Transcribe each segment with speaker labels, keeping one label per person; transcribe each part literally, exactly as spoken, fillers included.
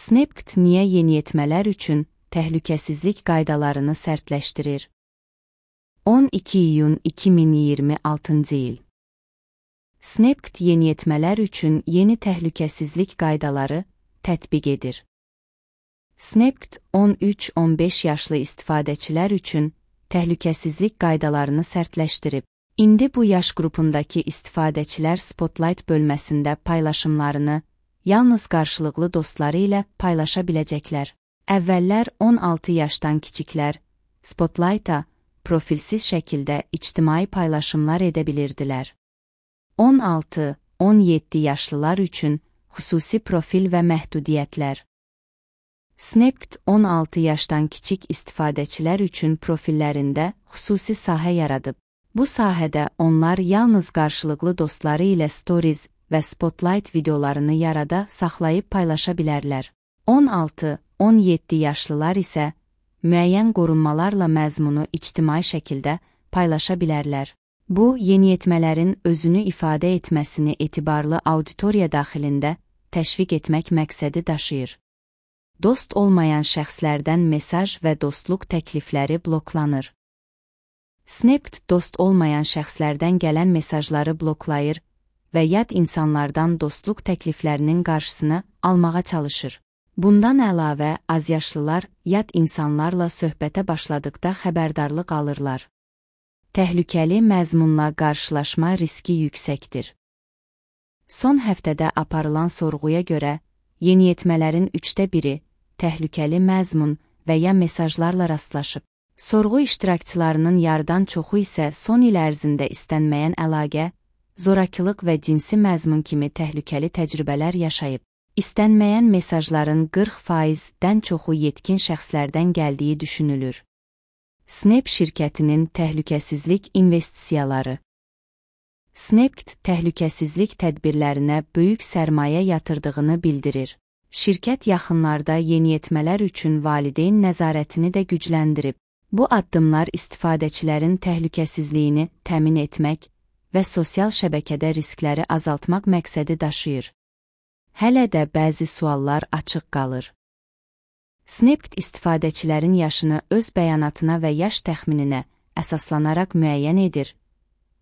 Speaker 1: Snapchat niyə yeniyetmələr üçün təhlükəsizlik qaydalarını sərtləşdirir? on iki iyun iki min iyirmi altıncı il. Snapchat yeniyetmələr üçün yeni təhlükəsizlik qaydaları tətbiq edir. Snapchat on üç on beş yaşlı istifadəçilər üçün təhlükəsizlik qaydalarını sərtləşdirib. İndi bu yaş qrupundakı istifadəçilər Spotlight bölməsində paylaşımlarını yalnız qarşılıqlı dostları ilə paylaşa biləcəklər. Əvvəllər on altı yaşdan kiçiklər Spotlight-a profilsiz şəkildə ictimai paylaşımlar edə bilirdilər. on altı on yeddi yaşlılar üçün xüsusi profil və məhdudiyyətlər. Snapchat on altı yaşdan kiçik istifadəçilər üçün profillərində xüsusi sahə yaradıb. Bu sahədə onlar yalnız qarşılıqlı dostları ilə stories və Spotlight videolarını yarada saxlayıb paylaşa bilərlər. on altı on yeddi yaşlılar isə müəyyən qorunmalarla məzmunu ictimai şəkildə paylaşa bilərlər. Bu, yeniyetmələrin özünü ifadə etməsini etibarlı auditoriya daxilində təşviq etmək məqsədi daşıyır. Dost olmayan şəxslərdən mesaj və dostluq təklifləri bloklanır. Snapchat dost olmayan şəxslərdən gələn mesajları bloklayır və yad insanlardan dostluq təkliflərinin qarşısını almağa çalışır. Bundan əlavə, azyaşlılar yad insanlarla söhbətə başladıqda xəbərdarlıq alırlar. Təhlükəli məzmunla qarşılaşma riski yüksəkdir. Son həftədə aparılan sorğuya görə, yeniyetmələrin üçdə biri təhlükəli məzmun və ya mesajlarla rastlaşıb. Sorğu iştirakçılarının yarıdan çoxu isə son il ərzində istənməyən əlaqə, zorakılıq və cinsi məzmun kimi təhlükəli təcrübələr yaşayıb. İstənməyən mesajların qırx faizdən çoxu yetkin şəxslərdən gəldiyi düşünülür. Snap şirkətinin təhlükəsizlik investisiyaları. Snapchat təhlükəsizlik tədbirlərinə böyük sərmayə yatırdığını bildirir. Şirkət yaxınlarda yeniyetmələr üçün valideyn nəzarətini də gücləndirib. Bu addımlar istifadəçilərin təhlükəsizliyini təmin etmək və sosial şəbəkədə riskləri azaltmaq məqsədi daşıyır. Hələ də bəzi suallar açıq qalır. Snapchat istifadəçilərin yaşını öz bəyanatına və yaş təxmininə əsaslanaraq müəyyən edir.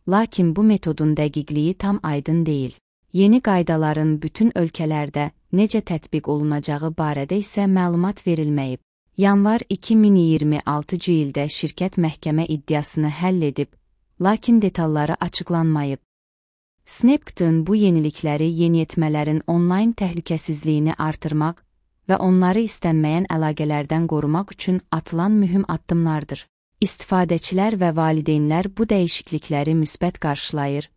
Speaker 1: Lakin bu metodun dəqiqliyi tam aydın deyil. Yeni qaydaların bütün ölkələrdə necə tətbiq olunacağı barədə isə məlumat verilməyib. Yanvar iki min iyirmi altıncı ildə şirkət məhkəmə iddiasını həll edib, lakin detalları açıqlanmayıb. Snapchat'ın bu yenilikləri yeniyetmələrin onlayn təhlükəsizliyini artırmaq və onları istənməyən əlaqələrdən qorumaq üçün atılan mühüm addımlardır. İstifadəçilər və valideynlər bu dəyişiklikləri müsbət qarşılayır,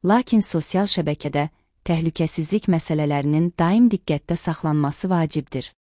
Speaker 1: lakin sosial şəbəkədə təhlükəsizlik məsələlərinin daim diqqətdə saxlanması vacibdir.